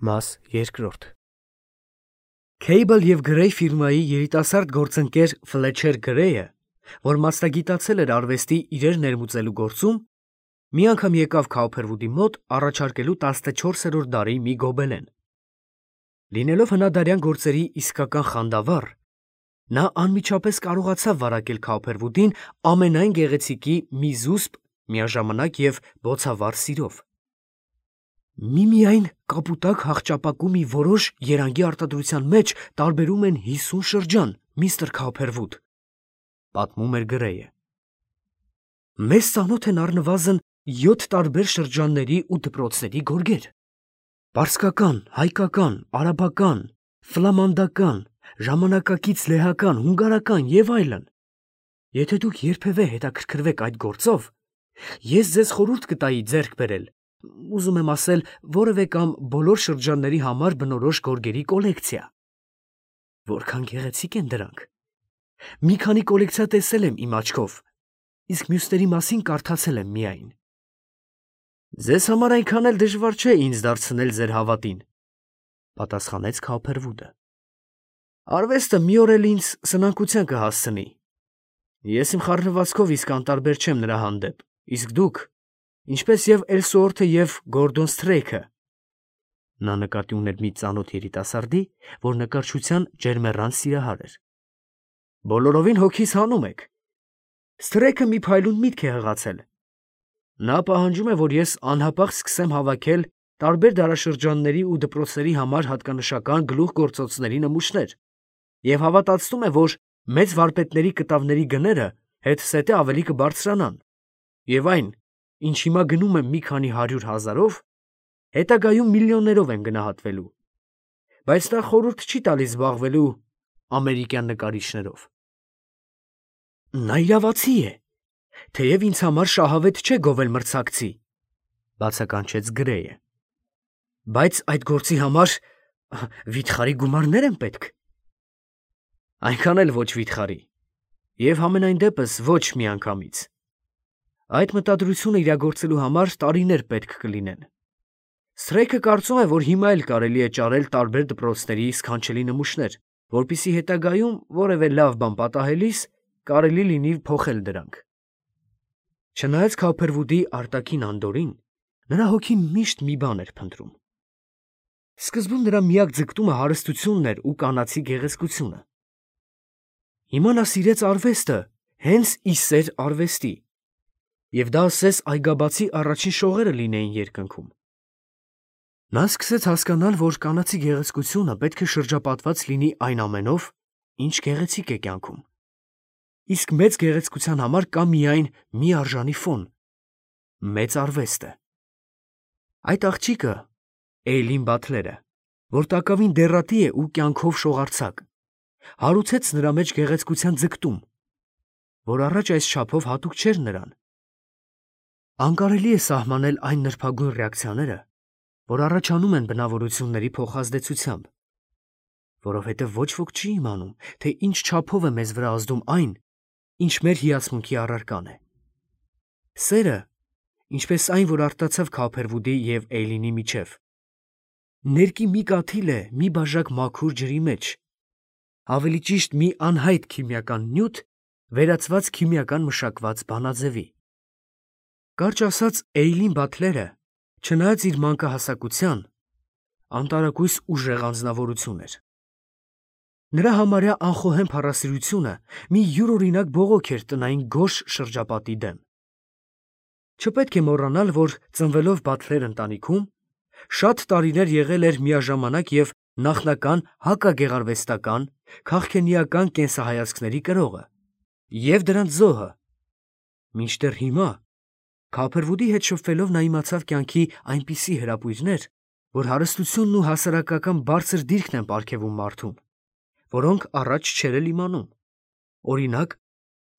Մաս երկրորդ Քեյբլ և Գրեյ ֆիրմայի երիտասարդ գործընկեր Ֆլեչեր Գրեյը, որ մասնագիտացել էր արվեստի իրեր ներմուծելու գործում, մի անգամ եկավ Քաուփերվուդի մոտ առաջարկելու 14-րդ դարի մի գոբելեն։ Լինելով հնադարյան գործերի իսկական խանդավառ, նա անմիջապես կարողացավ վարակել Քաուփերվուդին ամենայն գեղեցիկի մի զուսպ, միաժամանակ և բոցավառ սիրով։ Միմիայն կապուտակ հախճապակու մի որոշ երանգի արտադրության մեջ տարբերում են 50 շրջան, միստր Քաուփերվուդ, պատմում էր Գրեյը։ Մեզ ծանոթ են առնվազն 7 տարբեր շրջանների ու դպրոցների գորգեր. պարսկական, հայկական, արաբական, ֆլամանդական, ժամանակակից լեհական, հունգարական և այլն։ Եթե դուք երբևէ հետաքրքրվեք այդ գործով, ես ձեզ խորհուրդ կտայի ձեռք բերել, ուզում եմ ասել, որևէ կամ բոլոր շրջանների համար բնորոշ գորգերի կոլեկցիա։ Որքան գեղեցիկ են դրանք։ Մի քանի կոլեկցիա տեսել եմ իմ աչքով, իսկ մյուսների մասին կարդացել եմ միայն։ Ձեզ համար այնքան էլ դժվար չէ ինձ դարձնել ձեր հավատին, պատասխանեց Քաուփերվուդը։ Արվեստը մի օր էլ ինձ սնանկության կհասցնի։ Ես իմ խառնվածքով իսկ անտարբեր չեմ նրա հանդեպ, իսկ դուք, ինչպես և Էլսուորթը և Գորդոն Սթրեյքը, նա նկատի ուներ մի ծանոթ երիտասարդի, որ նկարչության ջերմեռան սիրահար էր, բոլորովին հոգիս հանում եք։ Սթրեյքը մի փայլուն միտք է հղացել։ Նա պահանջում է, որ ես անհապաղ սկսեմ հավաքել տարբեր դարաշրջանների ու դպրոցների համար հատկանշական գլուխգործոցների նմուշներ և հավատացնում է, որ մեծ վարպետների կտավների գները հետզհետե ավելի կբարձրանան, և այն, ինչ հիմա գնում եմ մի քանի 100,000-ով, հետագայում միլիոններով են գնահատվելու, բայց նա խորհուրդ չի տալիս զբաղվելու ամերիկյան նկարիչներով։ Նա իրավացի է, թեև ինձ համար շահավետ չէ գովել մրցակցի, բացականչեց Գրեյը։ Բայց այդ գործի համար վիթխարի գումարներ են պետք։ Այնքան էլ ոչ վիթխարի, և համենայն դեպս ոչ միանգամից։ Այդ մտադրությունը իրագործելու համար տարիներ պետք կլինեն։ Սթրեյքը կարծում է, որ հիմա էլ կարելի է ճարել տարբեր դպրոցների սքանչելի նմուշներ, որպեսզի հետագայում որևէ լավ բան պատահելիս կարելի լինի փոխել դրանք։ Չնայած Քաուփերվուդի արտաքին անդորրին, նրա հոգին միշտ մի բան էր փնտրում։ Սկզբում նրա միակ ձգտումը հարստությունն էր ու կանացի գեղեցկությունը։ Հիմա նա սիրեց արվեստը հենց ի սեր արվեստի, և դա ասես այգաբացի առաջին շողերը լինեին երկնքում։ Նա սկսեց հասկանալ, որ կանացի գեղեցկությունը պետք է շրջապատված լինի այն ամենով, ինչ գեղեցիկ է կյանքում։ Իսկ մեծ գեղեցկության համար կա միայն մի արժանի ֆոն՝ մեծ արվեստը։ Այդ աղջիկը, Էյլին Բաթլերը, որ տակավին դեռատի է ու կյանքով շողարձակ, հարուցեց նրա մեջ գեղեցկության ձգտում, որ առաջ այս չափով հատուկ չէր նրան։ Անկարելի է սահմանել այն նրբագույն ռեակցիաները, որ առաջանում են բնավորությունների փոխազդեցությամբ, որովհետև ոչ ոք չի իմանում, թե ինչ չափով է մեզ վրա ազդում այն, ինչ մեր հիացմունքի առարկան է։ Սերը, ինչպես այն, որ արտացավ Քաուփերվուդի և Էյլինի միջև, ներկի մի կաթիլ է մի բաժակ մաքուր ջրի մեջ, ավելի ճիշտ մի անհայտ քիմիական նյութ վերածված քիմիական մշակված բանաձևի։ Կարճ ասած, Էյլին Բաթլերը, չնայած իր մանկահասակության, անտարակույս ուժեղ անձնավորություն էր։ Նրա համարյա անխոհեմ փառասիրությունը մի յուրօրինակ բողոք էր տնային գորշ շրջապատի դեմ։ Չպետք է մոռանալ, որ ծնվելով Բաթլեր ընտանիքում, շատ տարիներ եղել էր միաժամանակ և նախնական հակագեղարվեստական, քաղքենիական կենսահայացքների կրողը և դրանց զոհը, մինչդեռ հիմա, Քաուփերվուդի հետ շփվելով, նա իմացավ կյանքի այնպիսի հրապույրներ, որ հարստությունն ու հասարակական բարձր դիրքն են պարգևում մարդուն, որոնք առաջ չէր էլ իմանում։ Օրինակ,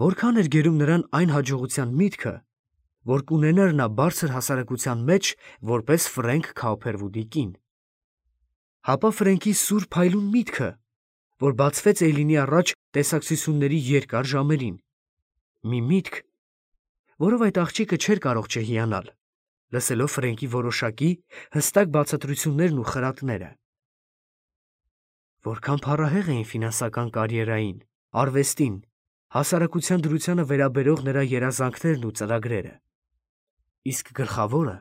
որքան էր գերում նրան այն հաջողության միտքը, որ կունենար նա բարձր հասարակության մեջ որպես Ֆրենկ Քաուփերվուդի կին։ Հապա Ֆրենկի սուր փայլուն միտքը, որ բացվեց Էյլինի առաջ տեսակցությունների երկար ժամերին, մի միտք, որով այդ աղջիկը չէր կարող չհիանալ, լսելով Ֆրենկի որոշակի հստակ բացատրություններն ու խրատները։ Որքան փառահեղ էին ֆինանսական կարիերային, արվեստին, հասարակության դրությանը վերաբերող նրա երազանքներն ու ծրագրերը։ Իսկ գլխավորը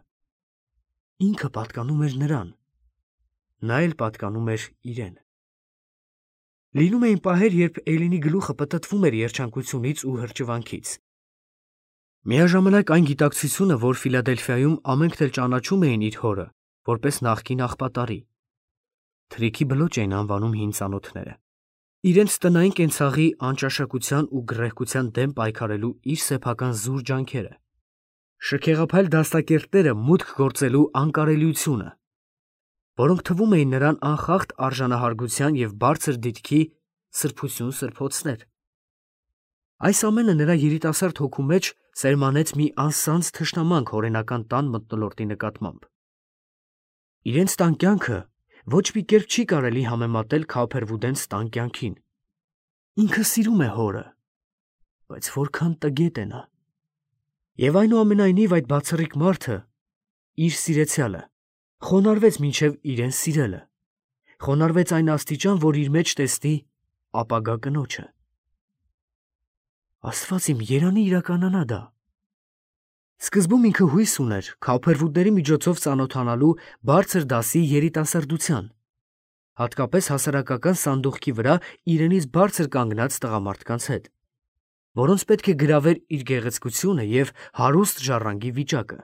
ինքը պատկանում էր նրան, նա էլ պատկանում էր իրեն։ Լինում էին պահեր, երբ Էյլինի գլուխը պտտվում էր երջանկությունից ու հրճվանքից։ Միաժամանակ այն գիտակցությունը, որ Ֆիլադելֆիայում ամենքն էլ ճանաչում էին իր հորը, որպես նախկին աղբատարի, թրիքի բլոճ էին անվանում հին ծանոթները, իրենց տնային կենցաղի անճաշակության ու գռեհկության դեմ պայքարելու իր սեփական զուր ջանքերը, շքեղափայլ դաստակերտները մուտք գործելու անկարելիությունը, որոնք թվում էին նրան անխախտ արժանահարգության և բարձր դիտքի սրբություն սրբոցներ։ Այս ամենը նրա երիտասարդ հոգու մեջ սերմանեց մի անսանձ թշնամանք հորենական տան մթնոլորտի նկատմամբ։ Իրենց տան կյանքը ոչ մի կերպ չի կարելի համեմատել Քափերվուդենց տան կյանքին։ Ինքը սիրում է հորը, բայց որքան տգետ է նա։ Եվ այնուամենայնիվ այդ բացառիկ մարդը, իր սիրեցյալը, խոնարհվեց մինչև իրեն սիրելը, խոնարհվեց այն աստիճան, որ իր մեջ տեսնի ապագա կնոջը։ Աստված իմ, երանի իրականանա դա։ Սկզբում ինքը հույս ուներ Քափերվուդների միջոցով ծանոթանալու բարձր դասի երիտասարդության, հատկապես հասարակական սանդուղքի վրա իրենից բարձր կանգնած տղամարդկանց հետ, որոնց պետք է գրավեր իր գեղեցկությունը և հարուստ ժառանգի վիճակը։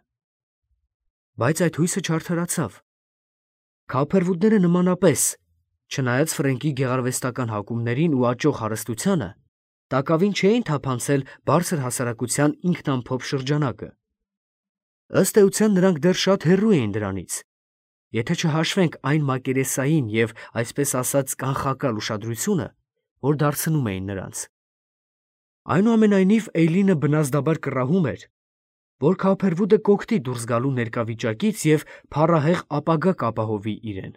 Բայց այդ հույսը չարդարացավ։ Քափերվուդները նմանապես, չնայած Ֆրենկի գեղարվեստական հակումներին ու աճող հարստությանը, տակավին չէին թափանցել բարձր հասարակության ինքնամփոփ շրջանակը։ Ըստ էության նրանք դեռ շատ հեռու էին դրանից, եթե չհաշվենք այն մակերեսային և, այսպես ասած, կանխակալ ուշադրությունը, որ դարձնում էին նրանց։ Այնուամենայնիվ Էյլինը բնազդաբար կռահում էր, որ Քափերվուդը կօգտի դուրս գալու ներկա վիճակից և փառահեղ ապագա կապահովի իրեն։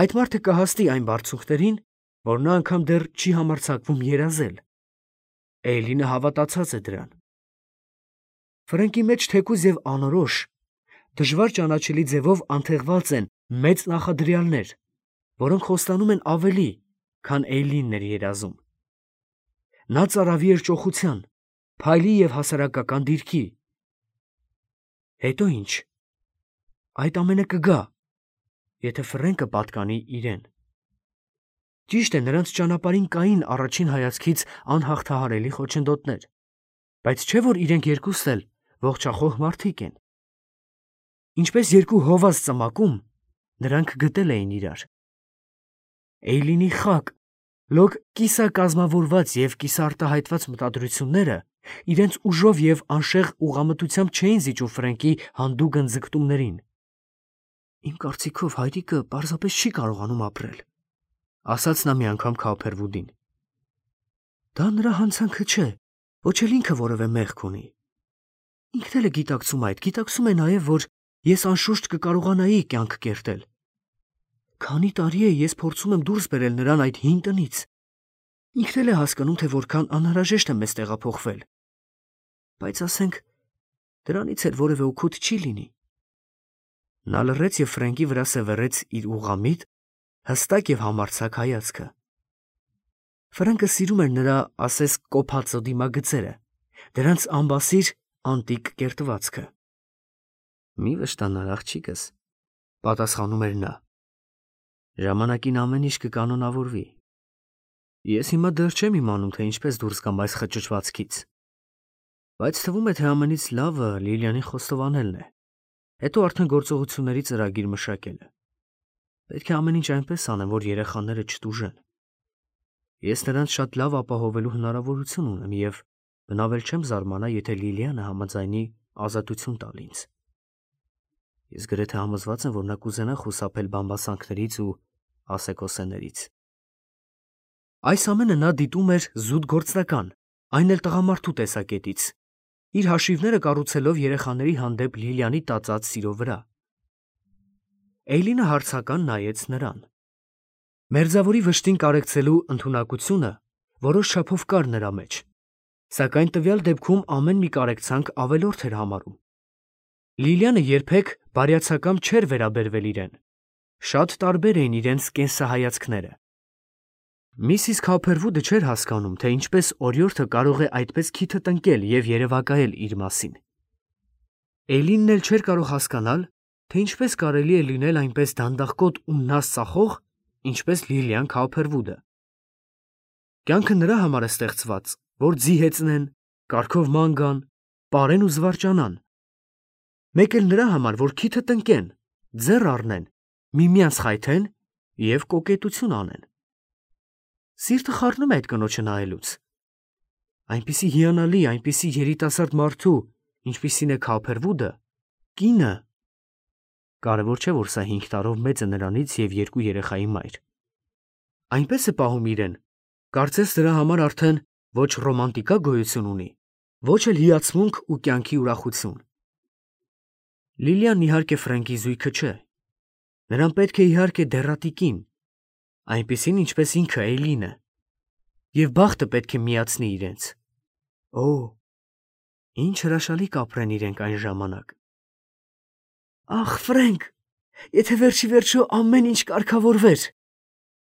Այդ մարդը կհասնի այն բարձունքներին, որ նա անգամ դեռ չի համարձակվում երազել։ Էյլինը հավատացած է դրան։ Ֆրենկի մեջ թեկուզ և անորոշ, դժվար ճանաչելի ձևով անթեղված են մեծ նախադրյալներ, որոնք խոստանում են ավելի, քան Էյլինն էր երազում։ Նա ծարավի էր ճոխության, փայլի և հասարակական դիրքի։ Հետո ինչ։ Այդ ամենը կգա, եթե Ֆրենկը պատկանի իրեն։ Ճիշտ է, նրանց ճանապարհին կային առաջին հայացքից անհաղթահարելի խոչընդոտներ, բայց չէ՞ որ իրենք երկուստ էլ ողջախոհ մարդիկ են։ Ինչպես երկու հովազ ծմակում, նրանք գտել էին իրար։ Էյլինի խակ, լոկ կիսակազմավորված և կիսաարտահայտված մտադրությունները իրենց ուժով և անշեղ ուղղամտությամբ չէին զիջում Ֆրենկի հանդուգն ձգտումներին։ Իմ կարծիքով հայրիկը պարզապես չի կարողանում ապրել, ասաց նա մի անգամ Քափերվուդին։ Դա նրա հանցանքը չէ, ոչ էլ ինքը որևէ մեղք ունի։ Ինքն էլ է գիտակցում այդ, գիտակցում է նաև, որ ես անշուշտ կկարողանայի կյանք կերտել։ Քանի տարի է ես փորձում եմ դուրս բերել նրան այդ հին տնից։ Ինքն էլ է հասկանում, թե որքան անհրաժեշտ է մեզ տեղափոխվել։ Բայց ասենք, դրանից էլ որևէ օգուտ չի լինի։ Նա լռեց և Ֆրենկի վրա սևեռեց իր ուղղամիտ, հստակ և համարձակ հայացքը։ Ֆրենկը սիրում էր նրա, ասես, կոփածո դիմագծերը, դրանց ամբասիր անտիկ կերտվածքը։ Մի վշտանար, աղջիկս, պատասխանում էր նա։ Ժամանակին ամեն ինչ կկանոնավորվի։ Ես հիմա դեռ չեմ իմանում, թե ինչպես դուրս գամ այս խճճվածքից։ Բայց թվում է, թե ամենից լավը Լիլիանին խոստովանելն է, հետո արդեն գործողությունների ծրագիր մշակելը։ Պետք է ամեն ինչ այնպես անեմ, որ երեխաները չտուժեն։ Ես նրանց շատ լավ ապահովելու հնարավորություն ունեմ և բնավել չեմ զարմանա, եթե Լիլիանը համաձայնի ազատություն տալ ինձ։ Ես գրեթե համոզված եմ, որ նա կուզենա խուսափել բամբասանքներից ու ասեկոսեներից։ Այս ամենը նա դիտում էր զուտ գործնական, այն էլ տղամարդու տեսակետից, իր հաշիվները կառուցելով երեխաների հանդեպ Լիլիանի տածած սիրո վրա։ Էյլինը հարցական նայեց նրան։ Մերձավորի վշտին կարեկցելու ընդունակությունը որոշ չափով կար նրա մեջ, սակայն տվյալ դեպքում ամեն մի կարեկցանք ավելորդ էր համարում։ Լիլիանը երբեք բարյացակամ չէր վերաբերվել իրեն։ Շատ տարբեր էին իրենց կենսահայացքները։ Միսիս Քոփերվուդը չէր հասկանում, թե ինչպես օրիորդը կարող է այդպես քիթը տնկել և երևակայել իր մասին։ Էյլինն էլ չէր կարող հասկանալ, թե ինչպես կարելի է լինել այնպես դանդաղկոտ ու նազ ծախող, ինչպես Լիլիան Քոփերվուդը։ Կյանքը նրա համար է ստեղծված, որ ձի հեծնեն, կարգով ման գան, պարեն ու զվարճանան։ Մեկ էլ նրա համար, որ քիթը տնկեն, ձեռ առնեն, միմյանց խայթեն և կոկետություն անեն։ Սիրտը խառնում է այդ կնոջը նայելուց։ Այնպիսի հիանալի, այնպիսի երիտասարդ մարդու, ինչպիսին է Քոփերվուդը, կինը։ Կարևոր չէ, որ սա 5 տարով մեծ է նրանից և 2 երեխայի մայր։ Այնպես է պահում իրեն, կարծես դրա համար արդեն ոչ ռոմանտիկա գոյություն ունի, ոչ էլ հիացմունք ու կյանքի ուրախություն։ Լիլիան իհարկե Ֆրենկի զույգը չէ։ Նրան պետք է իհարկե դեռատիկին, այնպիսին, ինչպես ինքը Էյլինը, և բախտը պետք է միացնի իրենց։ Օ, ինչ հրաշալի կապրեն իրենք այն ժամանակ։ Ախ, Ֆրենկ, եթե վերջի վերջո ամեն ինչ կարգավորվեր։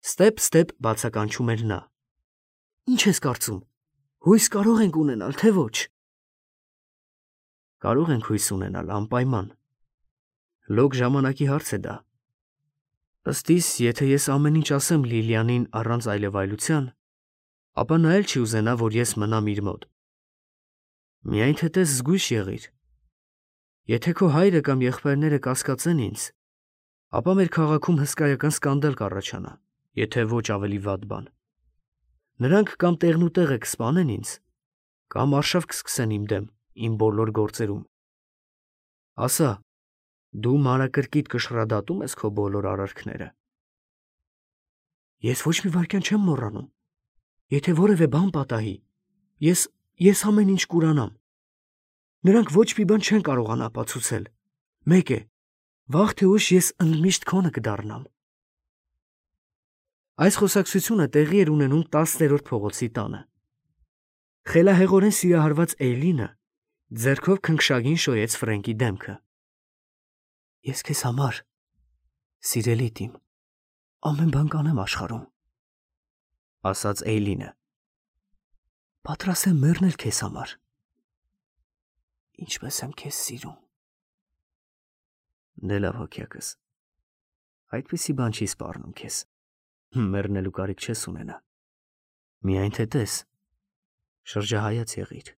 Ստեպ բացականչում էր նա։ Ինչ ես կարծում, հույս կարող ենք ունենալ, թե ոչ։ Կարող ենք հույս ունենալ, անպայման։ Լոկ ժամանակի հարց է դա։ Ըստ իս, եթե ես ամեն ինչ ասեմ Լիլիանին առանց այլևայլության, ապա նա էլ չի ուզենա, որ ես մնամ իր մոտ։ Միայն թե տես զգույշ եղիր։ Եթե քո հայրը կամ եղբայրները կասկածեն ինձ, ապա մեր քաղաքում հսկայական սկանդալ կառաջանա, եթե ոչ ավելի վատ բան։ Նրանք կամ տեղնուտեղը կսպանեն ինձ, կամ արշավ կսկսեն իմ դեմ, իմ բոլոր գործերում։ Ասա, դու մանրակրկիտ կշռադատում ես քո բոլոր արարքները։ Ես ոչ մի վայրկյան չեմ մոռանում։ Եթե որևէ բան պատահի, ես ամեն ինչ կուրանամ։ Նրանք ոչ մի բան չեն կարողանա ապացուցել։ Մեկ է, վաղ թե ուշ ես ընդմիշտ քոնը կդառնամ։ Այս խոսակցությունը տեղի էր ունենում 10-րդ փողոցի տանը։ Խելահեղորեն սիրահարված Էյլինը ձեռքով քնքշագին շոյեց Ֆրենկի դեմքը։ Ես քեզ համար, սիրելիդ իմ, ամեն բան կանեմ աշխարհում, ասաց Էյլինը։ Պատրաստ եմ մեռնել քեզ համար։ Ինչպես եմ քեզ սիրում։ Դե լավ հոգյակս, այդպիսի բան չի սպառնում քեզ, մեռնելու կարիք չես ունենա։ Միայն թե տես, շրջահայաց եղիր։